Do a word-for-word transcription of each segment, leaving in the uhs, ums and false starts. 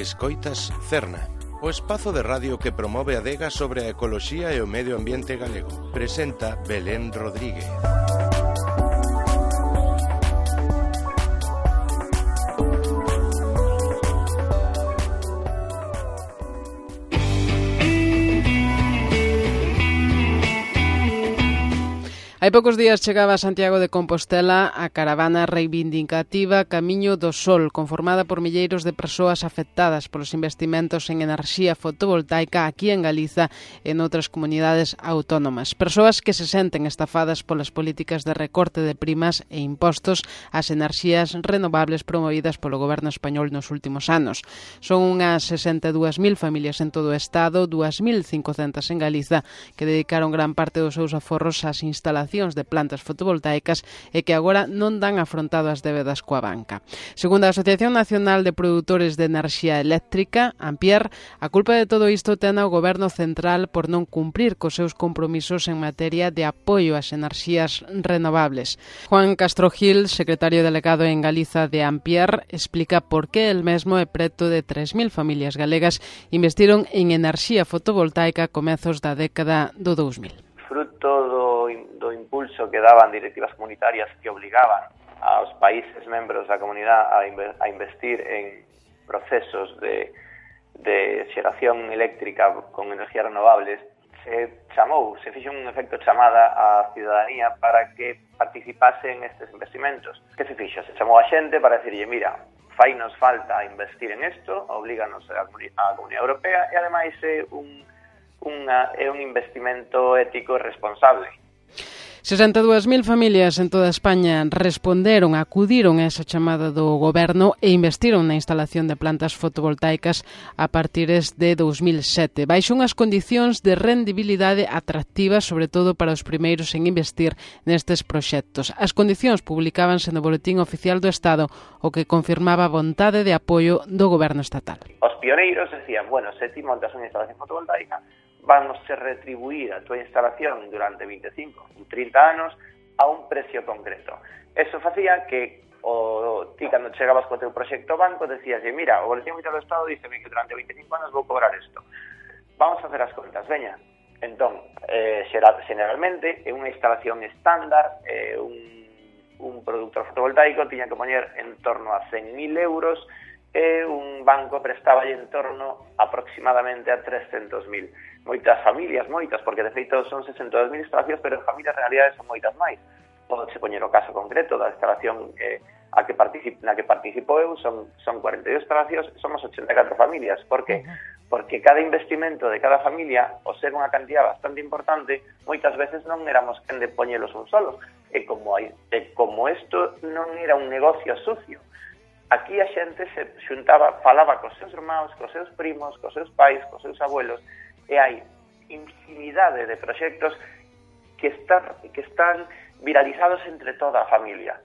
Escoitas Cerna, o espazo de radio que promove a adega sobre a ecoloxía e o medio ambiente galego. Presenta Belén Rodríguez. Hai poucos días chegaba a Santiago de Compostela a caravana reivindicativa Camiño do Sol, conformada por milleiros de persoas afectadas polos investimentos en enerxía fotovoltaica aquí en Galiza e en outras comunidades autónomas. Persoas que se senten estafadas polas políticas de recorte de primas e impostos ás enerxías renovables promovidas polo goberno español nos últimos anos. Son unhas sesenta e dúas mil familias en todo o Estado, dúas mil cincocentas en Galiza, que dedicaron gran parte dos seus aforros ás instalacións de plantas fotovoltaicas e que agora non dan afrontado as débedas coa banca. Segundo a Asociación Nacional de Produtores de Enerxía Eléctrica, Ampere, a culpa de todo isto ten o Goberno Central por non cumprir cos seus compromisos en materia de apoio ás enerxías renovables. Juan Castro Gil, secretario delegado en Galiza de Ampere, explica por que el mesmo e preto de tres mil familias galegas investiron en enerxía fotovoltaica a comezos da década do dous mil. Fruto do, do impulso que daban directivas comunitarias que obligaban aos países membros da comunidade a, inver, a investir en procesos de, de xeración eléctrica con energías renovables, se chamou, se fixo un efecto chamada á ciudadanía para que participase en estes investimentos. Que se fixo? Se chamou a xente para decirlle, mira, fai nos falta investir en isto, oblíganos a, a Comunidade Europea e ademais é un Unha, é un investimento ético e responsable. sesenta e dúas mil familias en toda España responderon, acudiron a esa chamada do goberno e investiron na instalación de plantas fotovoltaicas a partir de dous mil sete, baixo unhas condicións de rendibilidade atractivas, sobre todo para os primeiros en investir nestes proxectos. As condicións publicábanse no Boletín Oficial do Estado, o que confirmaba a vontade de apoio do goberno estatal. Os pioneiros decían, bueno, se ti montas unha instalación fotovoltaica, vamos a retribuir a tua instalación durante veinticinco ou trinta anos a un precio concreto. Eso facía que o ti, cando chegabas co teu proxecto ao banco, decías, mira, o Boletín Oficial do Estado díceme que durante veinticinco anos vou cobrar isto. Vamos a hacer as contas, veña. Entón, eh, generalmente, en unha instalación estándar, eh, un, un productor fotovoltaico tiña que poñer en torno a cen mil euros e un banco prestaba en torno aproximadamente a trescentos mil. Moitas familias, moitas, porque de feito son sesenta e dúas mil instalacións, pero en familias en realidade son moitas máis. Pode se poñer o caso concreto da instalación eh, a que particip, na que participo eu, son, son cuarenta e dúas instalacións, somos ochenta e catro familias. Por que? Porque cada investimento de cada familia, ao ser unha cantidad bastante importante, moitas veces non éramos quen de poñelos un solos. E como, hai, e como isto non era un negocio sucio, aquí a xente se xuntaba, falaba cos seus irmãos, cos seus primos, cos seus pais, cos seus abuelos, e hai infinidade de proxectos que están, que están viralizados entre toda a familia.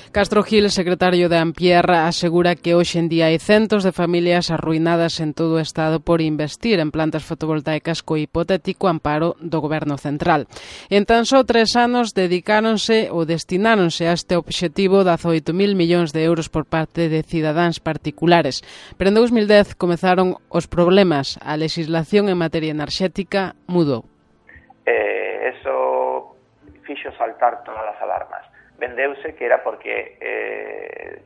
Castro Gil, secretario de Ampere, asegura que hoxe en día hai centos de familias arruinadas en todo o Estado por investir en plantas fotovoltaicas co hipotético amparo do Goberno Central. En tan só tres anos dedicáronse ou destináronse a este obxectivo dezaoito mil millóns de euros por parte de cidadáns particulares. Pero en dous mil dez comezaron os problemas. A legislación en materia enerxética mudou. Eh, eso fixo saltar todas as alarmas. Vendeuse que era porque eh,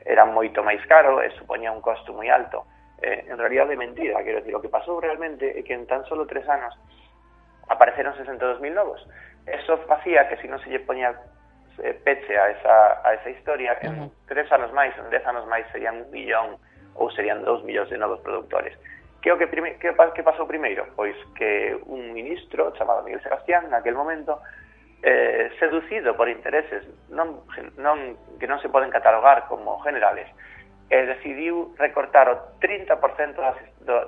era moito máis caro e supoñía un costo moi alto. Eh, en realidad de mentira, quero decir, o que pasou realmente é que en tan solo tres anos apareceron sesenta e dúas mil novos. Eso facía que se non se lle poñía eh, peche a esa, a esa historia, en tres anos máis, en dez anos máis serían un millón ou serían dous millóns de novos produtores. Que o que, prime, que, que pasou primeiro? Pois que un ministro chamado Miguel Sebastián, naquel momento, Eh, seducido por intereses non, non, que non se poden catalogar como generales, eh, decidiu recortar o trinta por cento da,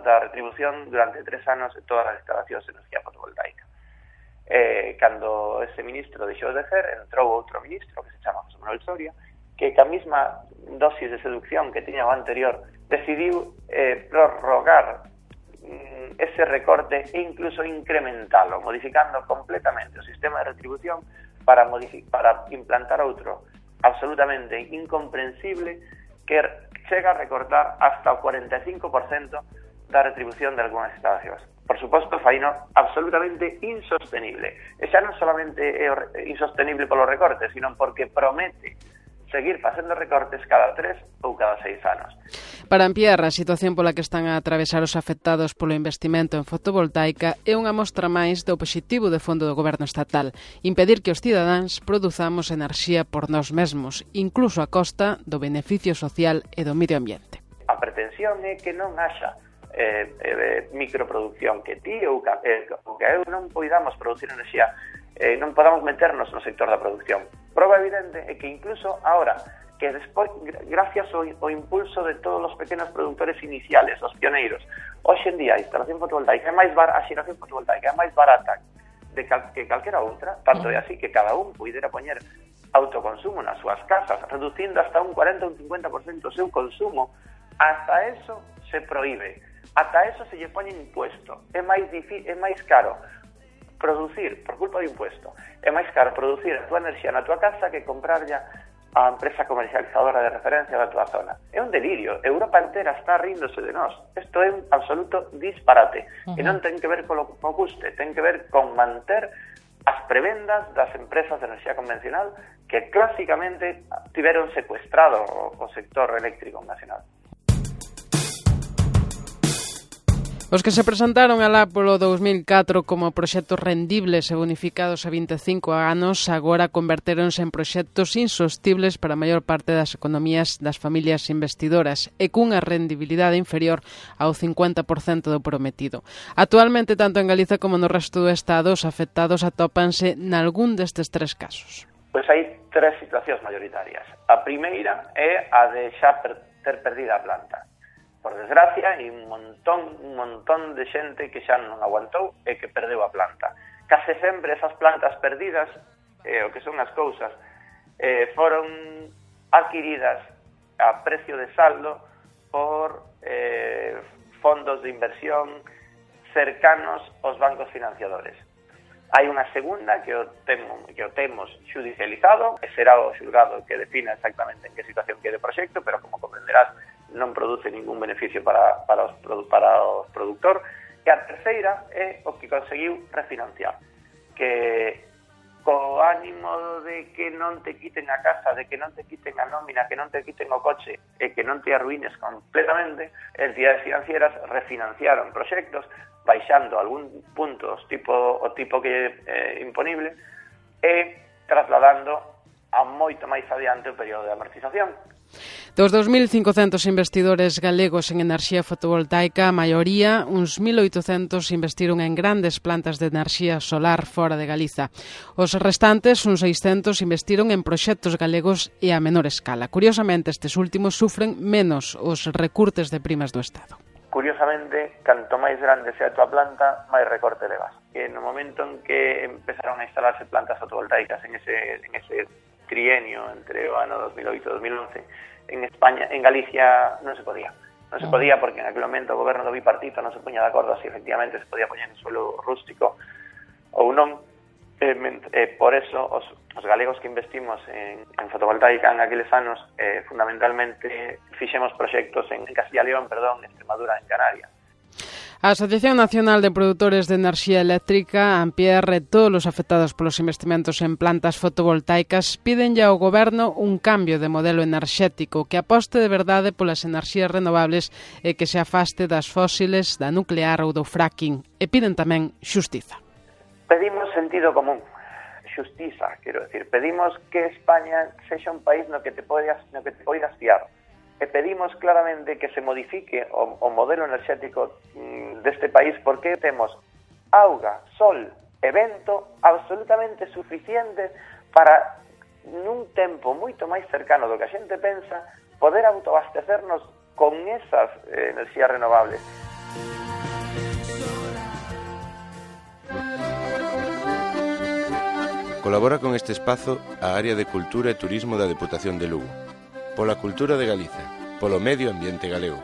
da retribución durante tres anos de todas as instalacións de energía fotovoltaica. Eh, cando ese ministro deixou de ser, entrou outro ministro que se chama José Manuel Soria, que ca mesma dosis de seducción que tiña o anterior, decidiu eh, prorrogar ese recorte e incluso incrementalo, modificando completamente o sistema de retribución para, modific- para implantar outro absolutamente incomprensible que chega a recortar hasta o cuarenta e cinco por cento da retribución de algunhas instalacións. Por suposto, faino absolutamente insostenible. E xa non solamente é insostenible polo recorte, sino porque promete seguir facendo recortes cada tres ou cada seis anos. Para ampliar a situación pola que están a atravesar os afectados polo investimento en fotovoltaica é unha mostra máis do obxectivo de fondo do Goberno estatal, impedir que os cidadáns produzamos enerxía por nós mesmos, incluso a costa do beneficio social e do medio ambiente. A pretensión é que non haxa eh, eh, microproducción, que ti ou que, eh, que eu non poidamos producir enerxía, eh, non podamos meternos no sector da producción. Prova evidente é que incluso ahora, que despois, gracias ao, ao impulso de todos os pequenos productores iniciales, os pioneiros, hoxe en día a instalación fotovoltaica é máis barata, a xeración fotovoltaica é máis barata de cal, que calquera outra, tanto é así que cada un puidera poñer autoconsumo nas súas casas, reducindo hasta un cuarenta ou un cincuenta por cento o seu consumo. Hasta eso se proíbe, ata eso se lle poñe impuesto. É máis difícil, é máis caro producir, por culpa do impuesto, é máis caro producir a túa enerxía na túa casa que comprarlla a empresa comercializadora de referencia da túa zona. É un delirio. Europa entera está ríndose de nós. Isto é un absoluto disparate. Uh-huh. E non ten que ver co, co custe, ten que ver con manter as prebendas das empresas de enerxía convencional que clásicamente tiveron secuestrado o, o sector eléctrico nacional. Os que se presentaron alá polo dous mil catro como proxectos rendibles e bonificados a vinte e cinco anos agora convertéronse en proxectos insostibles para a maior parte das economías das familias investidoras e cunha rendibilidade inferior ao cincuenta por cento do prometido. Actualmente, tanto en Galiza como no resto do Estado, os afectados atópanse nalgún destes tres casos. Pois hai tres situacións maioritarias. A primeira é a de xa per, ter perdida a planta. Por desgracia, hai un montón, un montón de xente que xa non aguantou e que perdeu a planta. Case sempre esas plantas perdidas, eh, o que son as cousas, eh, foron adquiridas a precio de saldo por eh, fondos de inversión cercanos aos bancos financiadores. Hai unha segunda que o temos, que o temos judicializado, e será o xulgado que defina exactamente en que situación quede o proxecto, pero como comprenderás, non produce ningún beneficio para, para, os, para o produtor. E a terceira é o que conseguiu refinanciar, que co ánimo de que non te quiten a casa, de que non te quiten a nómina, que non te quiten o coche e que non te arruines completamente, entidades financieras refinanciaron proxectos baixando algún punto os tipo, o tipo que é eh, imponible e trasladando a moito máis adiante o período de amortización. Dos dos mil cincocentos investidores galegos en enerxía fotovoltaica, a maioría, uns mil oitocentos, investiron en grandes plantas de enerxía solar fora de Galiza. Os restantes, uns seiscentos, investiron en proxectos galegos e a menor escala. Curiosamente, estes últimos sufren menos os recurtes de primas do Estado. Curiosamente, canto máis grande sea a tua planta, máis recorte levas. E no momento en que empezaron a instalarse plantas fotovoltaicas en ese, en ese trienio entre o ano dos mil oito e dos mil once, en España, en Galicia non se podía. Non se podía porque en aquel momento o goberno do bipartito non se poña de acordo se efectivamente se podía poñer en suelo rústico ou non. Eh, eh, por eso, os, os galegos que investimos en, en fotovoltaica en aqueles anos, eh, fundamentalmente, fixemos proxectos en, en Castilla y León, perdón, en Extremadura, en Canarias. A Asociación Nacional de Produtores de Enerxía Eléctrica, A N P R, todos os afectados polos investimentos en plantas fotovoltaicas, piden ao Goberno un cambio de modelo enerxético que aposte de verdade polas enerxías renovables e que se afaste das fósiles, da nuclear ou do fracking. E piden tamén xustiza. Pedimos sentido común, xustiza, quero decir, pedimos que España sexa un país no que te poidas, no que te poidas fiar. E pedimos claramente que se modifique o, o modelo enerxético mm, deste país porque temos auga, sol e vento absolutamente suficientes para nun tempo moito máis cercano do que a xente pensa poder autoabastecernos con esas eh, enerxías renovables. Colabora con este espazo a Área de Cultura e Turismo da Deputación de Lugo. Pola cultura de Galiza, polo medio ambiente galego.